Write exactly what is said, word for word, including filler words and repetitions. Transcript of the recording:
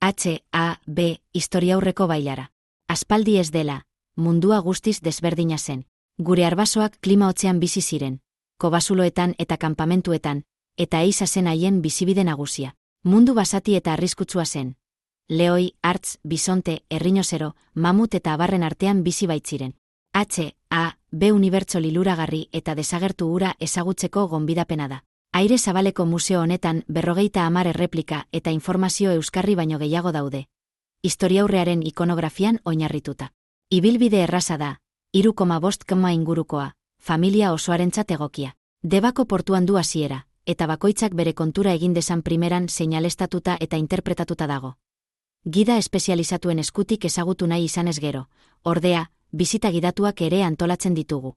H A B historiaurreko bailara. Aspaldi ez dela, mundua guztiz desberdina zen. Gure arbasoak klima hotzean bizi ziren, kobazuloetan eta kanpamentuetan, eta eiza zen haien bizibide nagusia. Mundu basati eta arriskutsua zen. Leoi, hartz, bisonte, errinozero, mamut eta abarren artean bizi baitziren. H A B unibertso liluragarri eta desagertu hura ezagutzeko gonbidapena da. Aire Zabaleko museo honetan berrogeita hamar erreplika eta informazio euskarri baino gehiago daude. Historiaurrearen ikonografian oinarrituta. Ibilbide erraza da, hiru koma bost koma ingurukoa, familia osoarentzat egokia. Debako portuan du hasiera, eta bakoitzak bere kontura egin dezan primeran seinalestatuta eta interpretatuta dago. Gida espezializatuen eskutik ezagutu nahi izanez gero, ordea, bisita gidatuak ere antolatzen ditugu.